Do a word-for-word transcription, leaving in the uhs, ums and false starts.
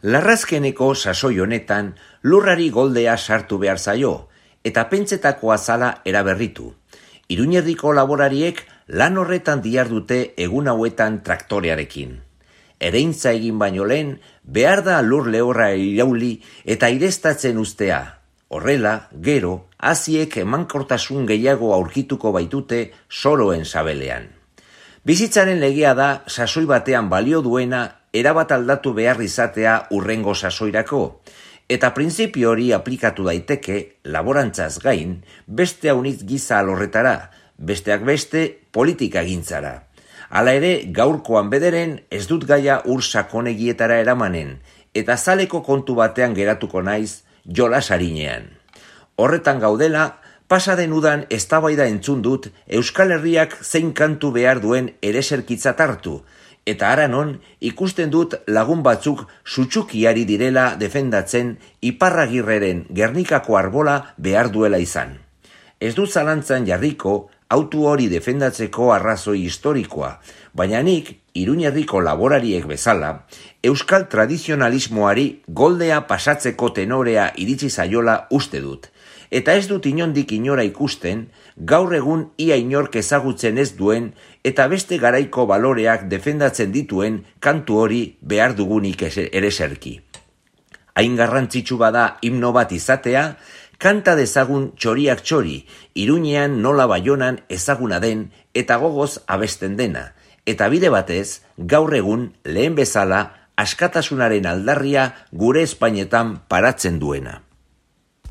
Larrazkeneko sasoi honetan lurrari goldea sartu behar zaio, eta pentsetakoa zala eraberritu. Iruñerdiko laborariek lan horretan dihardute egun hauetan traktorearekin. Ereintza egin baino lehen, behar da lur lehorra irauli eta irestatzen ustea. Horrela, gero, haziek emankortasun gehiago aurkituko baitute soroen sabelean. Bizitzaren legea da sasoi batean balio duena erabat aldatu behar izatea urrengo sasoirako, eta printzipio hori aplikatu daiteke, laborantzaz gain, beste haunitz giza alorretara, besteak beste politika gintzara. Hala ere, gaurkoan bederen ez dut gaia ur sakonegietara eramanen, eta zaleko kontu batean geratuko naiz jolas arinean. Horretan gaudela, pasaden udan eztabaida entzun dut Euskal Herriak zein kantu behar duen ereserkitzat hartu, eta haranon ikusten dut lagun batzuk sutsukiari direla defendatzen Iparragirreren Gernikako arbola behar duela izan. Ez dut zalantzan jarriko autu hori defendatzeko arrazoi historikoa, baina nik Iruñerriko laborariek bezala, euskal tradizionalismoari goldea pasatzeko tenorea iritsi zaiola uste dut. Eta ez dut inondik inora ikusten, gaur egun ia inork ezagutzen ez duen eta beste garaiko baloreak defendatzen dituen kantu hori behar dugunik ereserki. Hain garrantzitsu bada himno bat izatea, kanta dezagun txoriak txori, Iruñean nola Baionan ezaguna den eta gogoz abesten dena, eta bide batez, gaur egun lehen bezala askatasunaren aldarria gure Espainetan paratzen duena.